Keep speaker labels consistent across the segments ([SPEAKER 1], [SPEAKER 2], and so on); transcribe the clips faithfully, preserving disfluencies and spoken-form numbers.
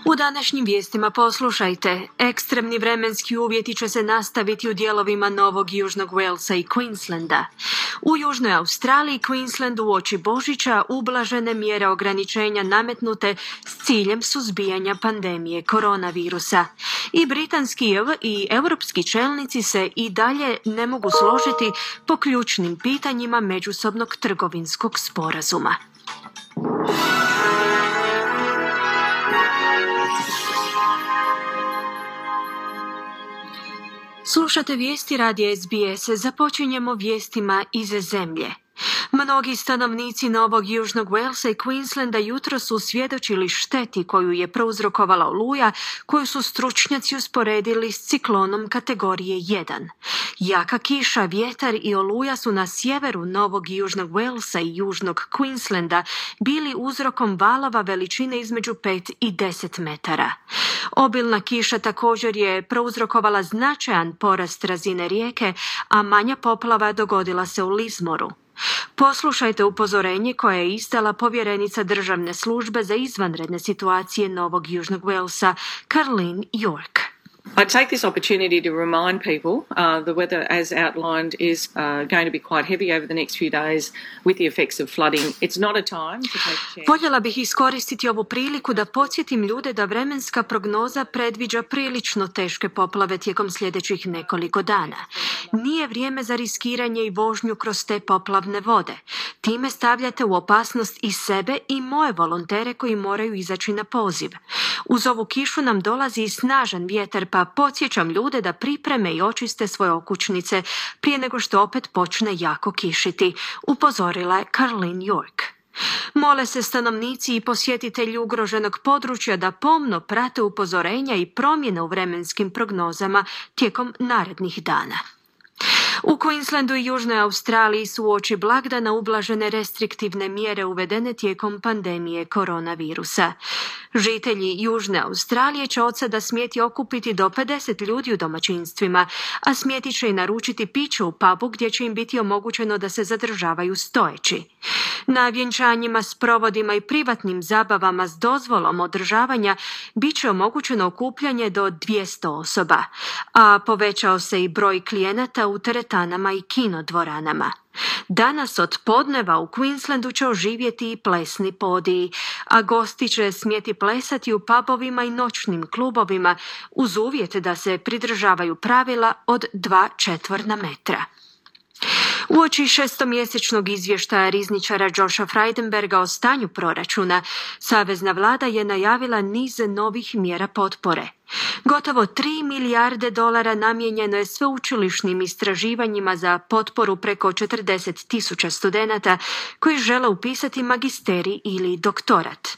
[SPEAKER 1] U današnjim vijestima poslušajte. Ekstremni vremenski uvjeti će se nastaviti u dijelovima Novog Južnog Walesa i Queenslanda. U Južnoj Australiji i Queenslandu uoči Božića ublažene mjere ograničenja nametnute s ciljem suzbijanja pandemije koronavirusa. I britanski i europski čelnici se i dalje ne mogu složiti po ključnim pitanjima međusobnog trgovinskog sporazuma. Slušate vijesti radija S B S. Započinjemo vijestima iz zemlje. Mnogi stanovnici Novog Južnog Walesa i Queenslanda jutro su svjedočili šteti koju je prouzrokovala oluja, koju su stručnjaci usporedili s ciklonom kategorije jedan. Jaka kiša, vjetar i oluja su na sjeveru Novog Južnog Walesa i Južnog Queenslanda bili uzrokom valova veličine između pet i deset metara. Obilna kiša također je prouzrokovala značajan porast razine rijeke, a manja poplava dogodila se u Lismoru. Poslušajte upozorenje koje je izdala povjerenica državne službe za izvanredne situacije Novog Južnog Walesa, Carleen York.
[SPEAKER 2] I take this opportunity to remind people uh, the weather, as outlined, is uh, going to be quite heavy over the next few days with the effects of flooding. It's not a time to take a chance.
[SPEAKER 1] Voljela bih iskoristiti ovu priliku da podsjetim ljude da vremenska prognoza predviđa prilično teške poplave tijekom sljedećih nekoliko dana. Nije vrijeme za riskiranje i vožnju kroz te poplavne vode. Time stavljate u opasnost i sebe i moje volontere koji moraju izaći na poziv. Uz ovu kišu nam dolazi i snažan vjetar, pa podsjećam ljude da pripreme i očiste svoje okućnice prije nego što opet počne jako kišiti, upozorila je Carleen York. Mole se stanovnici i posjetitelji ugroženog područja da pomno prate upozorenja i promjene u vremenskim prognozama tijekom narednih dana. U Queenslandu i Južnoj Australiji su uoči blagdana ublažene restriktivne mjere uvedene tijekom pandemije koronavirusa. Žitelji Južne Australije će od sada smjeti okupiti do pedeset ljudi u domaćinstvima, a smjeti će i naručiti piće u pubu gdje će im biti omogućeno da se zadržavaju stojeći. Na vjenčanjima s provodima i privatnim zabavama s dozvolom održavanja bit će omogućeno okupljanje do dvjesto osoba, a povećao se i broj klijenata u teretanama i kinodvoranama. Danas od podneva u Queenslandu će oživjeti i plesni podiji, a gosti će smjeti plesati u pubovima i noćnim klubovima uz uvjet da se pridržavaju pravila od dva četvorna metra. Uoči šestomjesečnog izvještaja rizničara Josha Frydenberga o stanju proračuna, savezna vlada je najavila niz novih mjera potpore. Gotovo tri milijarde dolara namijenjeno je sveučilišnim istraživanjima za potporu preko četrdeset tisuća studenata koji žele upisati magisterij ili doktorat.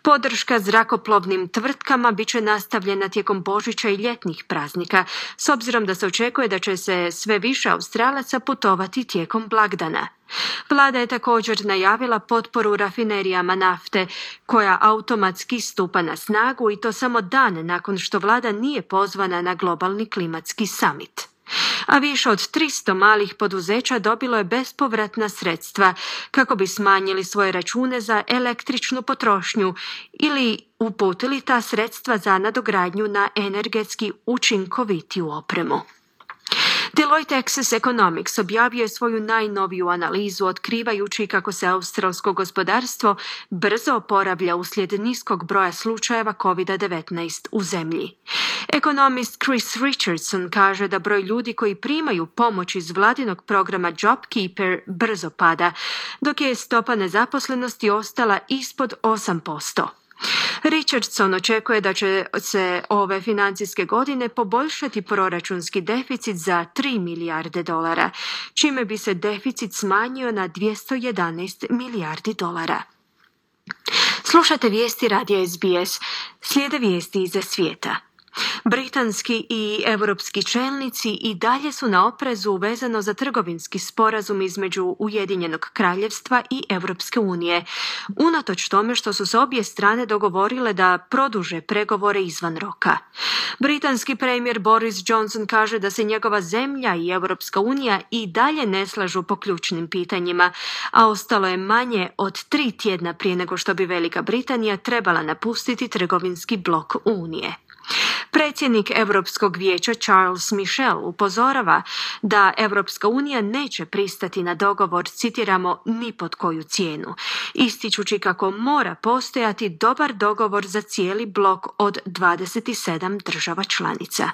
[SPEAKER 1] Podrška zrakoplovnim tvrtkama bit će nastavljena tijekom Božića i ljetnih praznika, s obzirom da se očekuje da će se sve više Australaca putovati tijekom blagdana. Vlada je također najavila potporu rafinerijama nafte, koja automatski stupa na snagu i to samo dan nakon što vlada nije pozvana na globalni klimatski summit. A više od tristo malih poduzeća dobilo je bespovratna sredstva kako bi smanjili svoje račune za električnu potrošnju ili uputili ta sredstva za nadogradnju na energetski učinkovitiju opremu. Deloitte Access Economics objavio je svoju najnoviju analizu otkrivajući kako se australsko gospodarstvo brzo oporavlja uslijed niskog broja slučajeva covid devetnaest u zemlji. Ekonomist Chris Richardson kaže da broj ljudi koji primaju pomoć iz vladinog programa JobKeeper brzo pada, dok je stopa nezaposlenosti ostala ispod osam posto. Richardson očekuje da će se ove financijske godine poboljšati proračunski deficit za tri milijarde dolara, čime bi se deficit smanjio na dvjesto jedanaest milijardi dolara. Slušate vijesti radija S B S, slijede vijesti iza svijeta. Britanski i europski čelnici i dalje su na oprezu vezano za trgovinski sporazum između Ujedinjenog kraljevstva i Europske unije, unatoč tome što su se obje strane dogovorile da produže pregovore izvan roka. Britanski premijer Boris Johnson kaže da se njegova zemlja i Europska unija i dalje ne slažu po ključnim pitanjima, a ostalo je manje od tri tjedna prije nego što bi Velika Britanija trebala napustiti trgovinski blok Unije. Predsjednik Europskog vijeća Charles Michel upozorava da Europska unija neće pristati na dogovor, citiramo, ni pod koju cijenu, ističući kako mora postojati dobar dogovor za cijeli blok od dvadeset sedam država članica.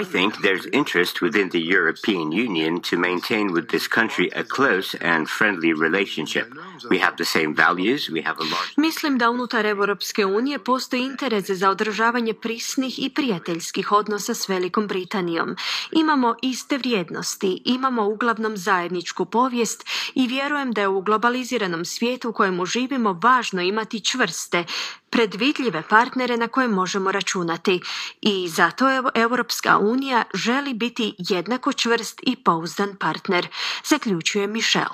[SPEAKER 3] I think there's interest within the European Union to maintain with this country a close and friendly relationship. We have the same values, we have a large...
[SPEAKER 1] Mislim da unutar Europske unije postoji interes za održavanje prisnih i prijateljskih odnosa s Velikom Britanijom. Imamo iste vrijednosti, imamo uglavnom zajedničku povijest i vjerujem da je u globaliziranom svijetu u kojemu živimo važno imati čvrste, predvidljive partnere na koje možemo računati i zato je Europska unija želi biti jednako čvrst i pouzdan partner, zaključuje Michel.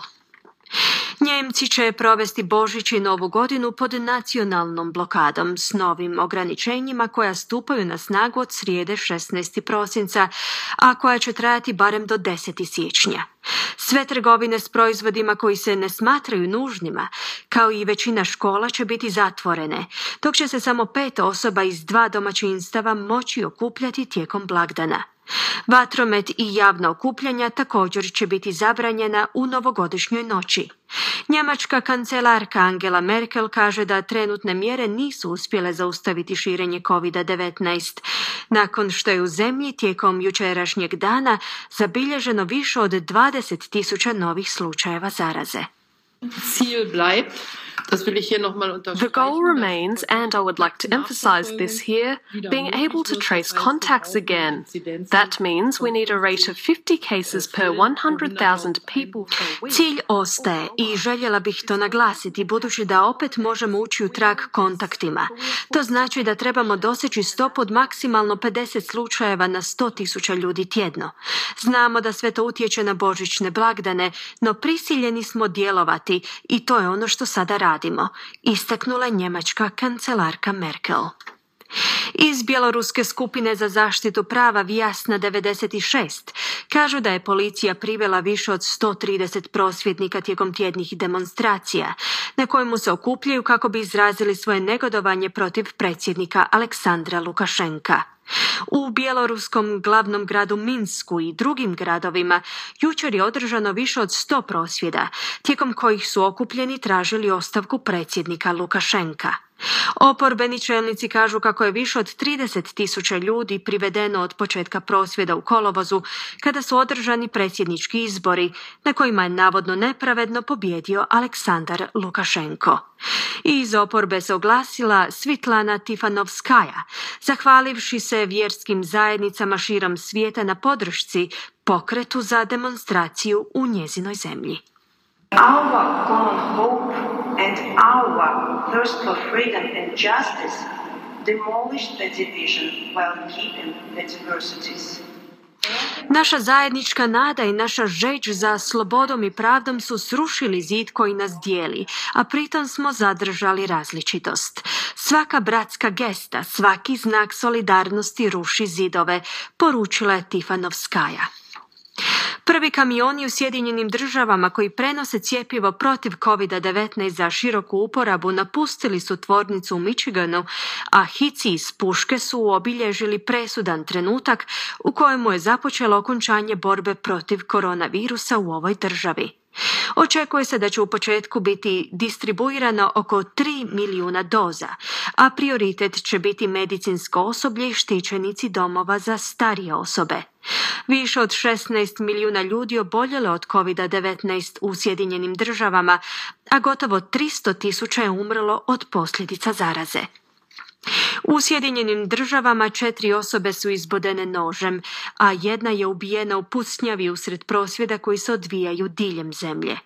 [SPEAKER 1] Njemci će provesti Božić i Novu godinu pod nacionalnom blokadom s novim ograničenjima koja stupaju na snagu od srijede šesnaestog prosinca, a koja će trajati barem do desetog siječnja. Sve trgovine s proizvodima koji se ne smatraju nužnima, kao i većina škola, će biti zatvorene, dok će se samo pet osoba iz dva domaćinstava moći okupljati tijekom blagdana. Vatromet i javna okupljanja također će biti zabranjena u novogodišnjoj noći. Njemačka kancelarka Angela Merkel kaže da trenutne mjere nisu uspjele zaustaviti širenje kovid devetnaest, nakon što je u zemlji tijekom jučerašnjeg dana zabilježeno više od dvadeset tisuća novih slučajeva zaraze.
[SPEAKER 4] Ziel bleibt.
[SPEAKER 5] The goal remains, and I would like to emphasize this here, being able to trace contacts again. That means we need a rate of fifty cases per one hundred thousand people per week.
[SPEAKER 1] Cilj ostaje i željela bih to naglasiti, budući da opet možemo ući u trag kontaktima. To znači da trebamo doseći stopu od maksimalno pedeset slučajeva na sto tisuća ljudi tjedno. Znamo da sve to utječe na božićne blagdane, no prisiljeni smo djelovati i to je ono što sada radimo, istaknula njemačka kancelarka Merkel. Iz bjeloruske skupine za zaštitu prava Vjasna devedeset šest kažu da je policija privela više od sto trideset prosvjednika tijekom tjednih demonstracija, na kojemu se okupljaju kako bi izrazili svoje negodovanje protiv predsjednika Aleksandra Lukašenka. U bjeloruskom glavnom gradu Minsku i drugim gradovima jučer je održano više od sto prosvjeda, tijekom kojih su okupljeni tražili ostavku predsjednika Lukašenka. Oporbeni čelnici kažu kako je više od trideset tisuća ljudi privedeno od početka prosvjeda u kolovozu, kada su održani predsjednički izbori, na kojima je navodno nepravedno pobijedio Aleksandar Lukašenko. Iz oporbe se oglasila Svitlana Tihanovskaja, zahvalivši se vjerskim zajednicama širom svijeta na podršci pokretu za demonstraciju u njezinoj zemlji.
[SPEAKER 6] Our common hope and our thirst for freedom and justice demolished the division while keeping the diversities.
[SPEAKER 1] Naša zajednička nada i naša žeđ za slobodom i pravdom su srušili zid koji nas dijeli, a pritom smo zadržali različitost. Svaka bratska gesta, svaki znak solidarnosti ruši zidove, poručila je Tihanovskaja. Prvi kamioni u Sjedinjenim državama koji prenose cjepivo protiv kovid devetnaest za široku uporabu napustili su tvornicu u Michiganu, a hici iz puške su obilježili presudan trenutak u kojemu je započelo okončanje borbe protiv koronavirusa u ovoj državi. Očekuje se da će u početku biti distribuirano oko tri milijuna doza, a prioritet će biti medicinsko osoblje i štićenici domova za starije osobe. Više od šesnaest milijuna ljudi oboljelo od kovid devetnaest u Sjedinjenim državama, a gotovo tristo tisuća je umrlo od posljedica zaraze. U Sjedinjenim državama četiri osobe su izbodene nožem, a jedna je ubijena u pucnjavi usred prosvjeda koji se odvijaju diljem zemlje.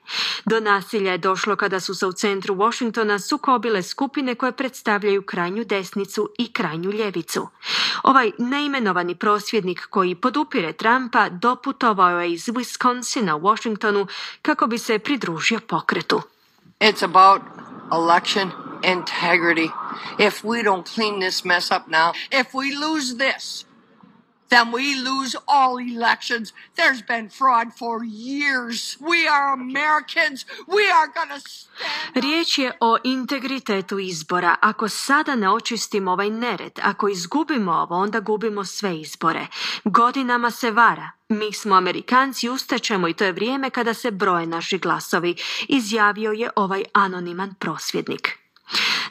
[SPEAKER 1] Do nasilja je došlo kada su se u centru Washingtona sukobile skupine koje predstavljaju krajnju desnicu i krajnju ljevicu. Ovaj neimenovani prosvjednik koji podupire Trumpa doputovao je iz Wisconsina u Washingtonu kako bi se pridružio pokretu.
[SPEAKER 7] It's about election integrity. If we don't clean this mess up now, if we lose this, then we lose all elections. There's been fraud for years. We are Americans. We are gonna stand.
[SPEAKER 1] Riječ je o integritetu izbora. Ako sada ne očistimo ovaj nered, ako izgubimo ovo, onda gubimo sve izbore. Godinama se vara. Mi smo Amerikanci, ustaćemo i to je vrijeme kada se broje naši glasovi, izjavio je ovaj anoniman prosvjednik.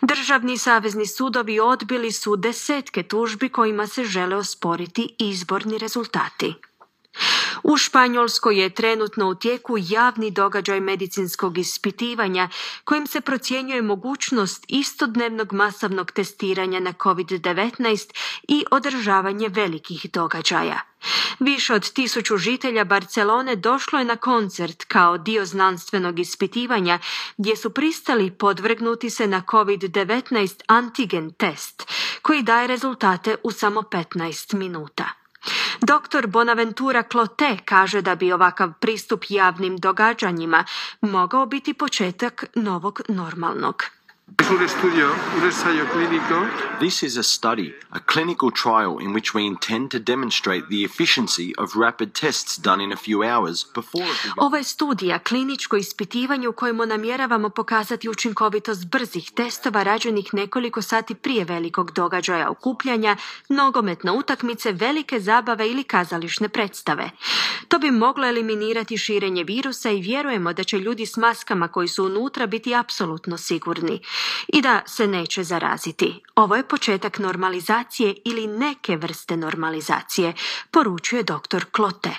[SPEAKER 1] Državni savezni sudovi odbili su desetke tužbi kojima se žele osporiti izborni rezultati. U Španjolskoj je trenutno u tijeku javni događaj medicinskog ispitivanja kojim se procjenjuje mogućnost istodnevnog masovnog testiranja na kovid devetnaest i održavanje velikih događaja. Više od tisuću žitelja Barcelone došlo je na koncert kao dio znanstvenog ispitivanja gdje su pristali podvrgnuti se na kovid devetnaest antigen test koji daje rezultate u samo petnaest minuta. Doktor Bonaventura Clotet kaže da bi ovakav pristup javnim događanjima mogao biti početak novog normalnog.
[SPEAKER 8] This is a study, a clinical trial in which we intend to demonstrate the efficiency of rapid tests done in a few hours before a big...
[SPEAKER 1] Ovo je studija, kliničko ispitivanje u kojemu namjeravamo pokazati učinkovitost brzih testova rađenih nekoliko sati prije velikog događaja okupljanja, nogometne utakmice, velike zabave ili kazališne predstave. To bi moglo eliminirati širenje virusa i vjerujemo da će ljudi s maskama koji su unutra biti apsolutno sigurni i da se neće zaraziti. Ovo je početak normalizacije ili neke vrste normalizacije, poručuje doktor Clotet.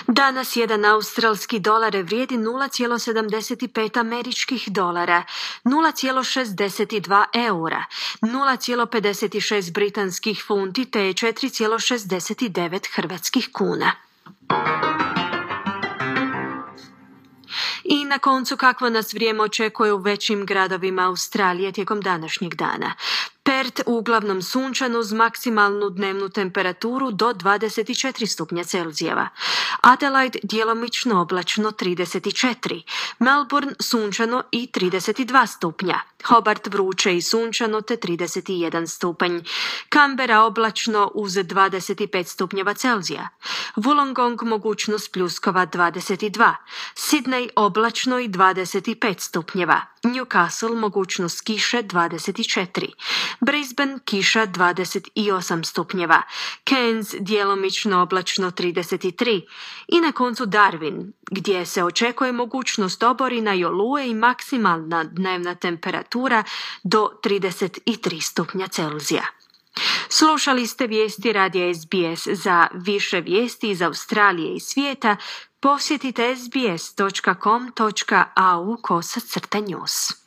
[SPEAKER 1] Danas jedan australski dolar vrijedi nula zarez sedamdeset pet američkih dolara, nula zarez šezdeset dva eura, nula zarez pedeset šest britanskih funti te četiri zarez šezdeset devet hrvatskih kuna. I na koncu kakvo nas vrijeme očekuje u većim gradovima Australije tijekom današnjeg dana. Perth uglavnom sunčano uz maksimalnu dnevnu temperaturu do dvadeset četiri stupnja Celzijeva. Adelaide djelomično oblačno trideset četiri. Melbourne sunčano i trideset dva stupnja. Hobart vruće i sunčano te trideset jedan stupanj. Canberra oblačno uz dvadeset pet stupnjeva Celzija. Wollongong mogućnost pljuskova dvadeset dva. Sydney oblačno i dvadeset pet stupnjeva. Newcastle mogućnost kiše dvadeset četiri. Brisbane kiša dvadeset osam stupnjeva, Cairns djelomično oblačno trideset tri i na koncu Darwin, gdje se očekuje mogućnost oborina i oluje i maksimalna dnevna temperatura do trideset tri stupnja Celzija. Slušali ste vijesti radija S B S. Za više vijesti iz Australije i svijeta posjetite s b s dot com dot a u kosa crta news.